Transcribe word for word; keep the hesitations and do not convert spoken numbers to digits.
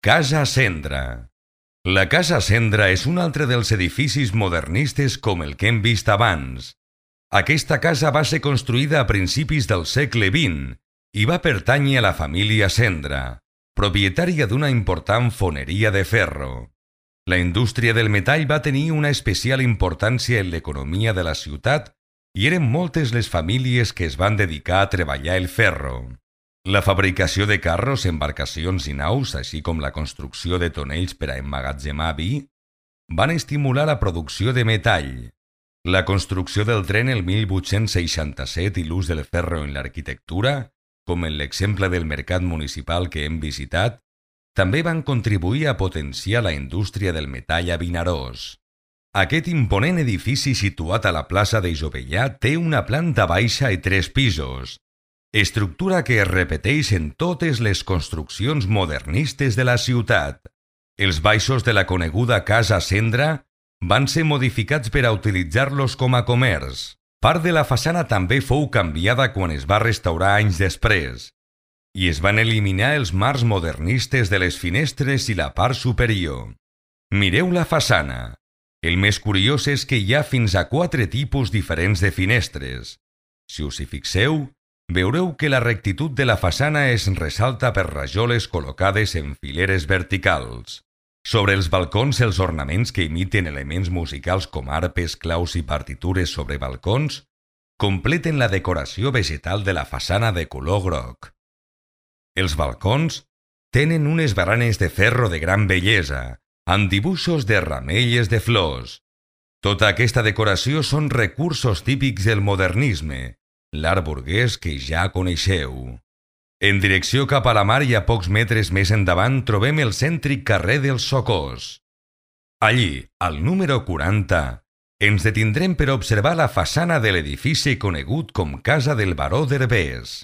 Casa Cendra. La Casa Cendra és un altre dels edificis modernistes com el que hem vist abans. Aquesta casa va ser construïda a principis del segle vint i va pertànyer a la família Cendra, propietària d'una important foneria de ferro. La indústria del metall va tenir una especial importància en l'economia de la ciutat i eren moltes les famílies que es van dedicar a treballar el ferro. La fabricació de carros, embarcacions i naus, així com la construcció de tonells per a emmagatzemar vi, van estimular la producció de metall. La construcció del tren el mil vuit-cents seixanta-set i l'ús del ferro en l'arquitectura, com en l'exemple del mercat municipal que hem visitat, també van contribuir a potenciar la indústria del metall a Vinaròs. Aquest imponent edifici situat a la plaça de Jovellà té una planta baixa i tres pisos, estructura que es repeteix en totes les construccions modernistes de la ciutat. Els baixos de la coneguda Casa Cendra van ser modificats per a utilitzar-los com a comerç. Part de la façana també fou canviada quan es va restaurar anys després, i es van eliminar els marcs modernistes de les finestres i la part superior. Mireu la façana. El més curiós és que hi ha fins a quatre tipus diferents de finestres. Si us hi fixeu, veureu que la rectitud de la façana es ressalta per rajoles col·locades en fileres verticals. Sobre els balcons, els ornaments que imiten elements musicals com arpes, claus i partitures sobre balcons completen la decoració vegetal de la façana de color groc. Els balcons tenen unes baranes de ferro de gran bellesa, amb dibuixos de ramelles de flors. Tota aquesta decoració són recursos típics del modernisme, l'art burguès que ja coneixeu. En direcció cap a la mar i a pocs metres més endavant trobem el cèntric carrer dels Socors. Allí, al número quaranta, ens detindrem per observar la façana de l'edifici conegut com Casa del Baró d'Herbers.